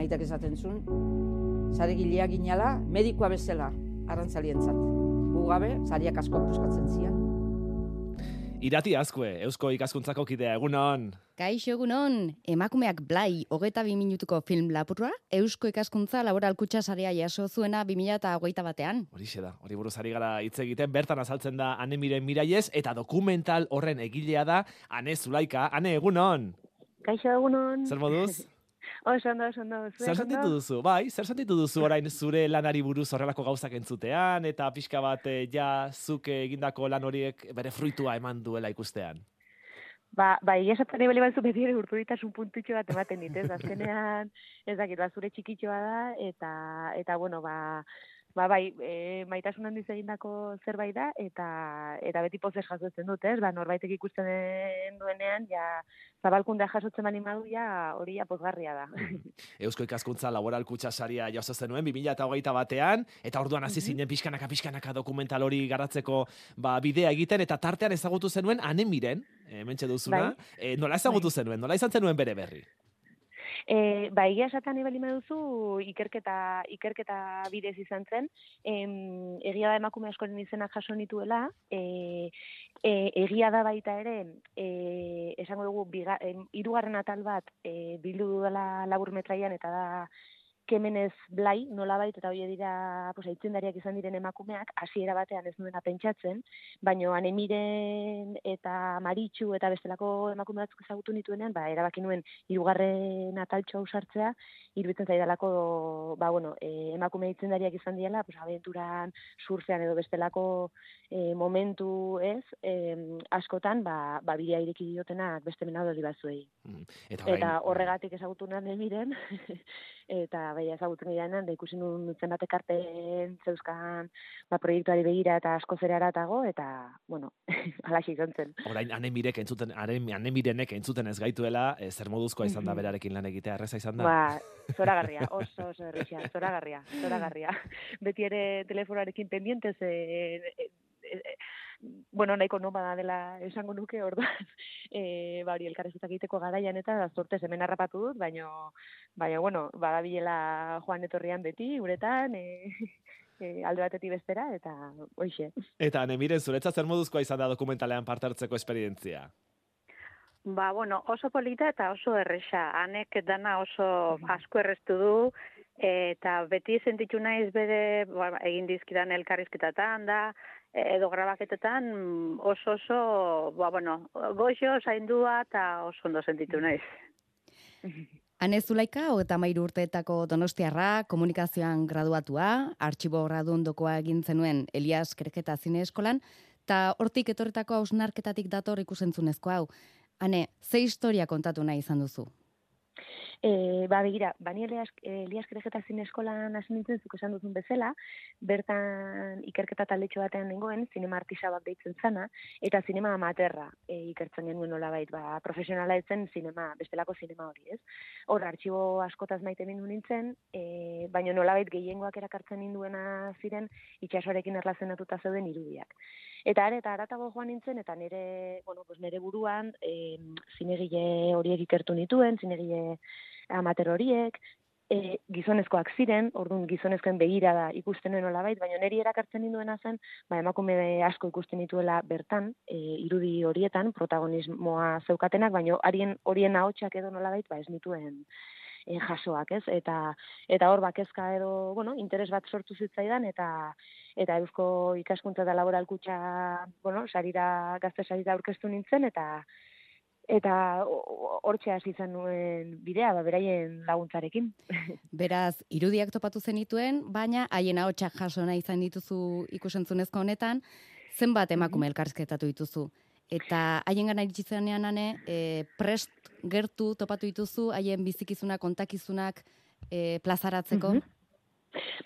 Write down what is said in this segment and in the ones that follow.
aitak esaten zuen, saregilea ginala, medikoa bezala, arrantzalientzat. Gu gabe, sariak asko puskatzen zian. Irati Azkue, Eusko Ikaskuntzako kidea, egunon. Kaixo egunon, emakumeak Blai 22 minutuko film lapurra, Eusko Ikaskuntza Laboral Kutxa Sarea jaso zuena 2021. Horixe da, hori buruz ari gara hitz egiten, bertan azaltzen da Ane Miren Miraiez, eta dokumental horren egilea da Ane Zulaika. Ane, egunon. Kaixo egunon. Zer moduz? Oso ondo. Zer sentitu duzu? Bai, zer sentitu duzu orain zure lanari buruz horrelako gauzak entzutean, eta pixka bat ja zuk egindako lan horiek bere fruitua eman duela ikustean? Egia esaten nahi bali batzu beti ere urturitasun puntutxo bat ematen dit, ez? Azkenean, ez dakit, zure txikitxoa da, eta bueno, maitasun handiz egindako zerbait da, eta beti pozez jasotzen dut, ez? Norbaitek ikusten duenean, ja, zabalkundea jasotzen bani madu, ja, hori ja pozgarria da. Eusko Ikaskuntza Laboral Kutxa Saria jaso zenuen 2021 eta orduan hasi zinen pixkanaka dokumental hori garatzeko bidea egiten, eta tartean ezagutu zenuen Ane Miren, hementxe duzuna. Nola ezagutu zenuen? Nola izan zenuen bere berri? Egia esaten ebali duzu ikerketa bidez izan zen, egia da emakume askoren izenak jaso nituela, egia da baita ere, esango dugu, 3. atal bat bildu dudala laburmetraian, eta da Kemenez Blai, nolabait, eta hori dira aitzindariak izan diren emakumeak, hasiera batean ez nuena pentsatzen, baina Ane Miren eta Maritxu eta bestelako emakume batzuk ezagutu nituenean, erabaki nuen 3. ataltxo hau sartzea, iruditzen zaidalako, emakume aitzindariak izan diela, abenturan, surfean edo bestelako momentu ez, askotan, bidea ireki diotenak beste menadori batzuei. Eta horregatik ezagutu nuen Ane Miren, eta ezagutzen girean, da ikusi nun zenbat ekarpen zeuzkan proiektuari begira eta asko zerara atago, eta, alaxi izan zen. Orain, Ane Mirenek entzuten ez gaituela, zer moduzkoa izan da berarekin lan egitea, erreza izan da? Zoragarria, oso errexia, zoragarria. Beti ere telefonarekin pendientez, nahiko nomada dela esango nuke, orduan, hori elkarrezetak egiteko garaian eta zortez hemen harrapatu dut, baina badabilela joan etorrian beti, uretan, alde batetik bestera, eta hoixe. Eta Ane Miren, zuretzat zer moduzkoa izan da dokumentalean parte hartzeko esperientzia? Oso polita eta oso erresa. Anek dana oso asko erreztu du, eta beti sentitu naiz bere egin dizkidan elkarrizketatan da, edo grabaketetan oso, goxo, zaindua eta oso ondo sentitu naiz. Ane Zulaika, 33 urteetako donostiarra, komunikazioan graduatua, artxibo gradundokoa egin zenuen Elias Kerketa Zine Eskolan, eta hortik etorretako hausnarketatik dator ikusentzunezko hau. Ane, ze historia kontatu nahi izan duzu? Begira, bani Elias Kerketa Zine Eskolan hasi nintzen zuk esan duzun bezala, bertan ikerketa taldetxo batean nengoen, zinema artisabak deitzen zana, eta zinema amaterra ikertzen genuen nolabait, profesionala etzen bestelako zinema hori, ez? Hor, artxibo askotaz maite mindu nintzen, baina nolabait gehiengoak erakartzen ninduena ziren itxasoarekin erlazionatuta zeuden irudiak. Eta haratago joan nintzen, eta nire buruan zinegile horiek ikertu nituen, zinegile amater horiek, gizonezkoak ziren, orduan gizonezkoen begirada ikusten nuen nolabait, baina niri erakartzen ninduena zen, emakume asko ikusten nituela bertan, irudi horietan, protagonismoa zeukatenak, baina horien ahotsak edo nolabait, ez nituen jasoak, ez? Eta hor kezka edo, interes bat sortu zitzaidan, eta Eusko Ikaskuntza eta Laboral Kutxa, gazte sarira aurkeztu nintzen, eta hortxe hasi izan nuen bidea, beraien laguntzarekin. Beraz, irudiak topatu zenituen, baina haien ahotsak jaso nahi izan dituzu ikusentzunezko honetan, zenbat emakume elkarrizketatu dituzu? Eta haien gana iritsi zenean, Ane, prest gertu topatu dituzu, haien bizikizunak, kontakizunak plazaratzeko?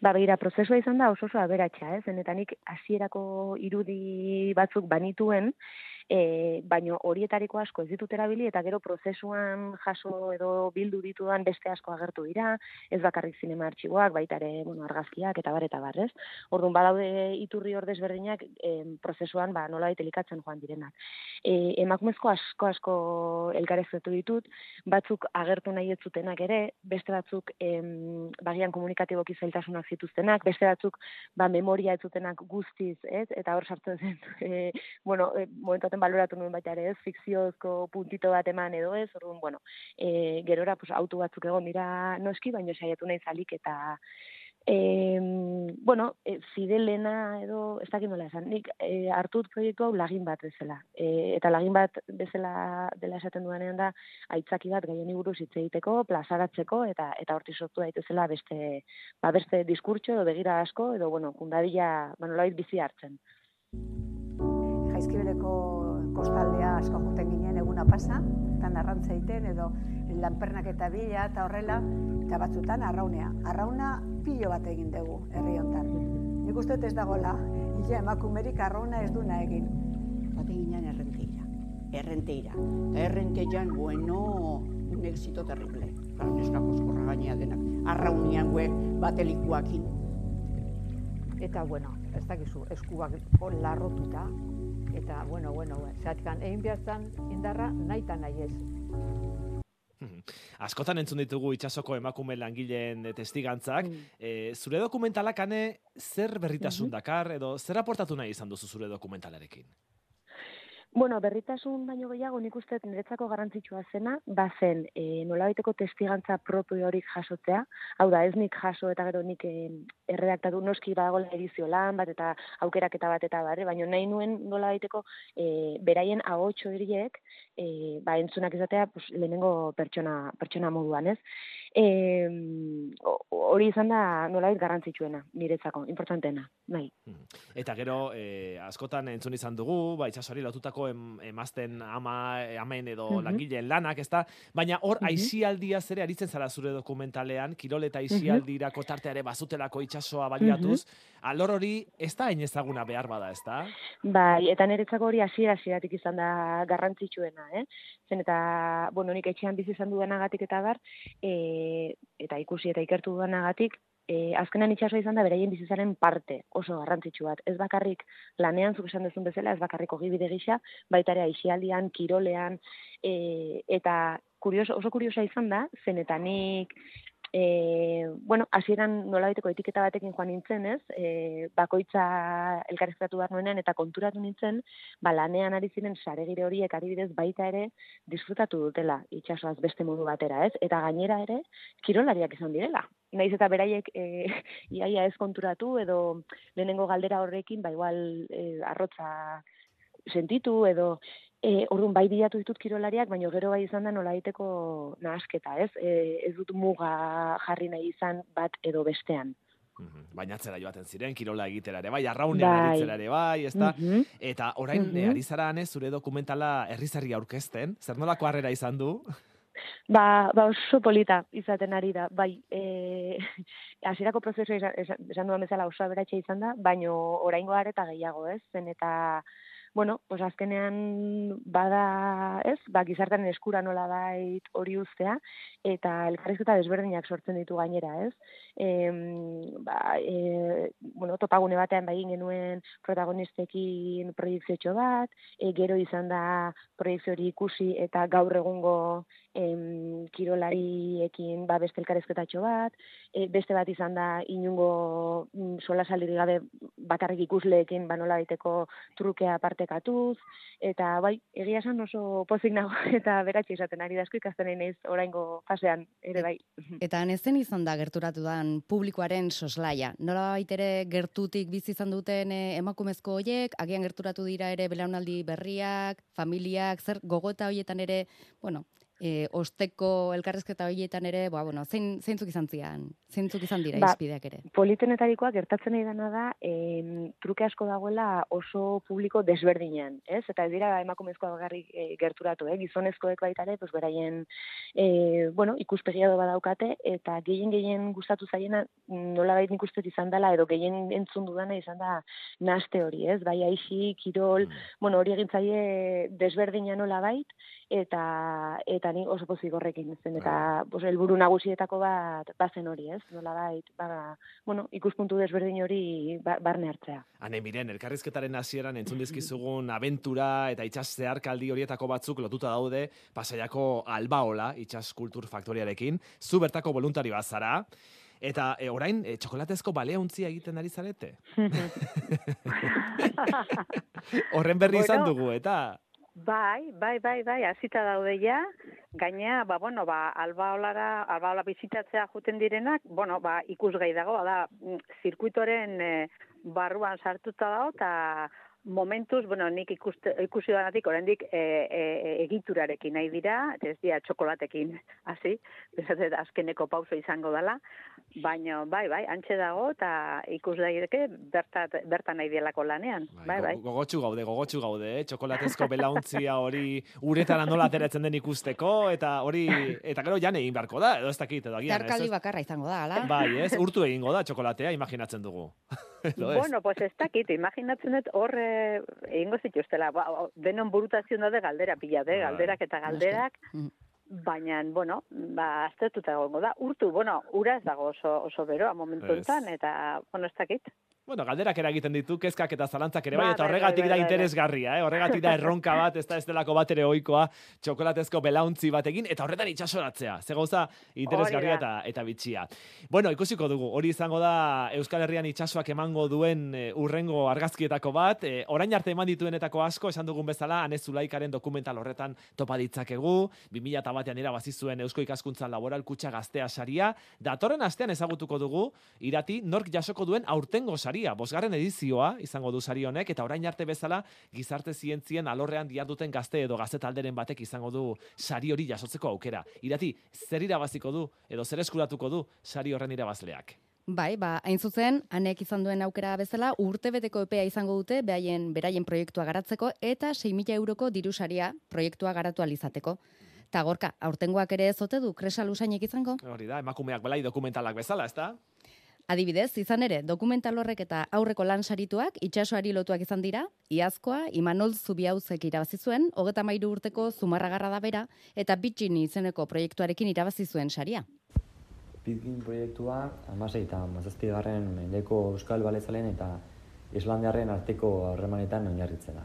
Begira, prozesua izan da oso aberatsa, ez? Zenetanik hasierako irudi batzuk banituen, baino horietariko asko ez ditut erabili, eta gero prozesuan jaso edo bildu ditudan beste asko agertu dira, ez bakarrik zinema artxiboak, baita ere, argazkiak eta bar, ez? Orduan, badaude iturri ordezberdinak prozesuan nolabait elikatzen joan direnak. Emakumezko asko elkarrezketu ditut, batzuk agertu nahi ez zutenak ere, beste batzuk bagian komunikatiboki zailtasunak zituztenak, beste batzuk memoria ez zutenak guztiz, ez? Eta hor sartzen zen, momentuaten baloratu nuen baita ere, ez? Fikziozko puntito bat eman edo ez, orduan, gerora auto batzuk egon dira noski, baina saiatu nahi zalik eta fidelena edo, ez dakit nola esan, nik hartut proiektu hau lagin bat bezala. Eta lagin bat bezala dela esaten duanean da, aitzaki bat gaien buruz hitz egiteko, plazaratzeko, eta hortik sortu daitezela beste diskurtso edo begira asko, edo, kundadila, nolabait bizi hartzen. Jaizkibeleko kostaldea asko juten ginen eguna pasa, eta narrantza egiten, edo lanpernak eta bila, eta horrela, eta batzutan arraunea. Arrauna pilo bat egin dugu, herri hontan. Nik uste ez dagoela, emakumerik arrauna ez duna egin. Bate ginen errenteira. Eta errenteian, un éxito terrible. Claro, neskako eskorra gainea denak. Arraunian batelikuakin. Eta, ez dakizu, eskuak larrotuta. Eta, zatkan, egin behartzen indarra nahi eta nahi ez. Askotan entzun ditugu itsasoko emakume langileen testigantzak. Zure dokumentalak zer berritasun dakar, edo zer aportatu nahi izan duzu zure dokumentalarekin? Berritasun baino gehiago nik uste niretzako garrantzitsua zena, bazen nolabaiteko testigantza propio horik jasotzea, hau da, ez nik jaso eta gero nik erredaktatu noski badagoela edizio lan bat eta aukeraketa bat eta barre, baina nahi nuen nolabaiteko beraien ahotso horiek entzunak izatea lehenengo pertsona moduan, ez? Hori izan da nolabait garrantzitsuena, niretzako, importanteena, nahi. Eta gero, askotan entzun izan dugu, itsasoari lotutako emazten amen edo langileen lanak, ezta? Baina hor, aisialdia zere aritzen zara zure dokumentalean, kirol eta aisialdirako tarteare bazutelako itsasoa baliatuz, alor hori ez da hain ezaguna behar bada, ezta? Bai, eta niretzako hori hasieratik izan da garrantzitsuena, zen eta, nik etxean bizi izan dudanagatik eta bar, eta ikusi eta ikertu dudanagatik, azkenan itsasoa izan da beraien bizitzaren parte oso garrantzitsu bat. Ez bakarrik lanean, zuk esan duzun bezala, ez bakarrik ogibide gisa, baita ere aisialdian, kirolean, eta oso kuriosa izan da, zen eta nik hasieran nolabaiteko etiketa batekin joan nintzen, ez? Bakoitza elkarrizketatu behar nuenean eta konturatu nintzen, lanean ari ziren saregire horiek adibidez baita ere disfrutatu dutela itsasoaz beste modu batera, ez? Eta gainera ere kirolariak izan direla. Naiz eta beraiek iaia ez konturatu edo lehenengo galdera horrekin, igual arrotza sentitu edo orduan bai bilatu ditut kirolariak, baina gero bai izan da nolabaiteko nahasketa, ez? Ez dut muga jarri nahi izan bat edo bestean. Baina atzera joaten ziren, kirola egitera ere bai, arraunean aritzera ere bai, ezta? Eta orain ari zara zure dokumentala herrizarri aurkezten, zer nolako harrera izan du? Oso polita izaten ari da, bai, hasierako prozesua esan duan bezala oso aberatsa izan da, baina oraingo areta gehiago, ez? Zen eta azkenean bada, ez, gizartearen eskura nola bait hori uztea, eta elkarrizketa desberdinak sortzen ditu gainera, ez? Topagune batean egin genuen protagonistekin proiekziotxo bat, gero izan da proiekzio hori ikusi eta gaur egungo kirolariekin beste elkarrizketatxo bat, beste bat izan da inungo solasaldirik gabe bakarrik ikusleekin nola baiteko trukea partekatuz, eta bai, egia esan oso pozik nago eta beratxe izaten ari da asko ikasten naiz oraingo fasean ere bai. Eta nezen izan da gerturatu dan publikoaren soslaia. Nola baitere gertutik bizi izan duten emakumezko hoiek, agian gerturatu dira ere belaunaldi berriak, familiak, zer gogota hoietan ere, osteko elkarrezketa horietan ere, zeintzuk izan dira izpideak ere? Politenetarikoa gertatzen nahi dena da, truke asko dagoela oso publiko desberdinean, ez? Eta ez dira emakumezkoa bakarrik gerturatu, gizonezkoek baita ere, pues beraien, ikuspegia badaukate, eta gehien gustatu zaiena, nolabait nik uste izan dela, edo gehien entzun dudana izan da naste hori, ez? Bai aixi, kirol, hori egin zaie desberdina nolabait, eta ni oso pozik horrekin zen, eta helburu nagusietako bat bazen hori, ez? Nolabait, ikuspuntu desberdin hori barne hartzea. Ane, miren, elkarrizketaren hasieran entzun dizkizugun abentura eta itsas zeharkaldi horietako batzuk lotuta daude Pasaiako Albaola itsas kultur faktoriarekin. Zu bertako voluntari bat zara. Eta orain, txokolatezko baleontzia egiten ari zarete? Horren berri izan dugu, eta... Bai, hasita daude ja. Gainea, Albaola bizitatzea juten direnak, ikusgai dago, zirkuitoren barruan sartuta dago, eta momentuz, nik ikusi danatik, oraindik egiturarekin nahi dira, eta ez dira txokolatekin, hasi, azkeneko pauso izango dela, baina, bai, antxe dago, eta ikus daireke bertan nahi dielako lanean, bai. Gogotsu gaude, txokolatezko belauntzia hori uretara nola ateratzen den ikusteko, eta gero jan egin beharko da, edo ez dakit, edo agian. Zeharkaldi bakarra izango da, ala? Bai, ez, urtu egingo da txokolatea, imaginatzen dugu. Pues ez dakit, imaginatzen dut hor egingo zituztela, denon burutazion da galdera pila, galderak eta galderak, baina, aztertuta egongo da, urtu, ura ez dago oso beroa momentu enten, eta, ez dakit. Galderak eragiten ditu, kezkak eta zalantzak ere bai, eta horregatik da interesgarria, horregatik da erronka bat, ez delako bat ere ohikoa, txokolatezko belauntzi batekin, eta horretan itxasoratzea, ze gauza interesgarria eta bitxia. Ikusiko dugu, hori izango da Euskal Herrian itxasoak emango duen urrengo argazkietako bat, orain arte eman dituenetako asko, esan dugun bezala, Ane Zulaikaren dokumental horretan topa ditzakegu, 2001an irabazi zuen Eusko Ikaskuntza Laboral Kutxa Gaztea saria, datorren astean ezagutuko dugu, irati, nork jasoko duen aurtengo saria. 5. edizioa izango du sari honek, eta orain arte bezala gizarte zientzien alorrean diharduten gazte edo gazte talderen batek izango du sari hori jasotzeko aukera. Irati, zer irabaziko du edo zer eskuratuko du sari horren irabazleak? Bai, hain zuzen, Anek izan duen aukera bezala, urtebeteko epea izango dute beraien proiektua garatzeko eta 6.000 euroko dirusaria proiektua garatu alizateko. Ta Gorka, aurtengoak ere ez ote du Kresa Lusainek izango? Hori da, emakumeak belai dokumentalak bezala, ezta? Adibidez, izan ere, dokumental horrek eta aurreko lan sarituak itsasoari lotuak izan dira, iazkoa Imanol Zubiauzek irabazi zuen, 33 urteko Zumarragarra da bera, eta Bitxini izeneko proiektuarekin irabazi zuen saria. Pitgin proiektua 16 eta 17. mendeko Euskal Balezalen eta Islandiarren arteko harremanetan oinarritzen da.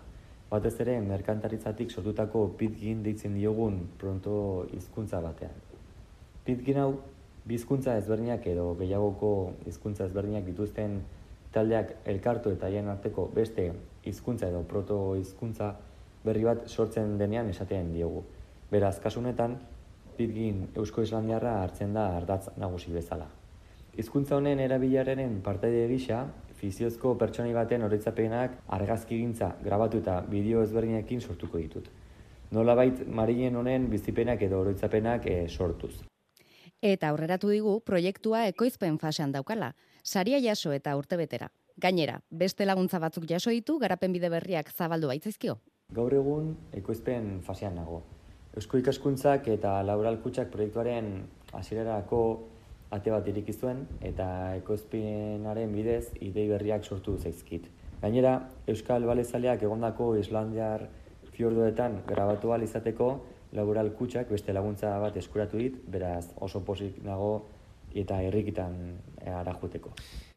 Batez ere, merkantaritzatik sortutako Pitgin deitzen diogun pronto hizkuntza batean. Pitgin hau hizkuntza ezberdinak edo gehiagoko hizkuntza ezberdinak dituzten taldeak elkartu eta haien arteko beste hizkuntza edo proto hizkuntza berri bat sortzen denean esaten diogu. Beraz, kasu honetan, Pitgin Eusko Islandiarra hartzen da ardatz nagusi bezala. Hizkuntza honen erabileraren partaide gisa, fiziozko pertsonai baten oroitzapenak argazkigintza grabatu eta bideo ezberdinekin sortuko ditut. Nolabait Marien honen bizipenak edo oroitzapenak sortuz. Eta aurreratu digu proiektua ekoizpen fasean daukala, saria jaso eta urtebetera. Gainera, beste laguntza batzuk jaso ditu garapen bide berriak zabaldu baitzaizkio. Gaur egun ekoizpen fasean nago. Eusko Ikaskuntzak eta Laboral Kutxak proiektuaren hasierarako ate bat ireki zuen eta ekoizpenaren bidez idei berriak sortu zaizkit. Gainera, Euskal Balezaleak egondako Islandiar fiordoetan grabatu ahal izateko Laboral Kutxak beste laguntza bat eskuratu dit, beraz oso pozik nago eta herrikitan arajuteko.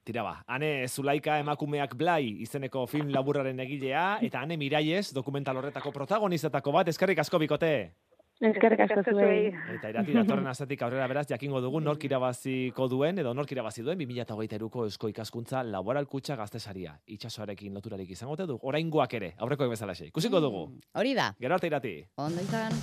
Tira ba, Ane Zulaika emakumeak Blai izeneko film laburraren egilea, eta Ane Miraiez dokumental horretako protagonistetako bat, eskerrik asko bikote! Eskerrik asko zuei. Eta Irati datorren astetik aurrera beraz jakingo dugu nork irabaziko duen edo nork irabazi duen 2023ko Eusko Ikaskuntza Laboral Kutxa Gazte saria. Itsasoarekin loturarik izango ote du. Oraingoak ere, aurrekoek bezalaxe. Ikusiko dugu. Hori da. Gero arte Irati. Ondo izan.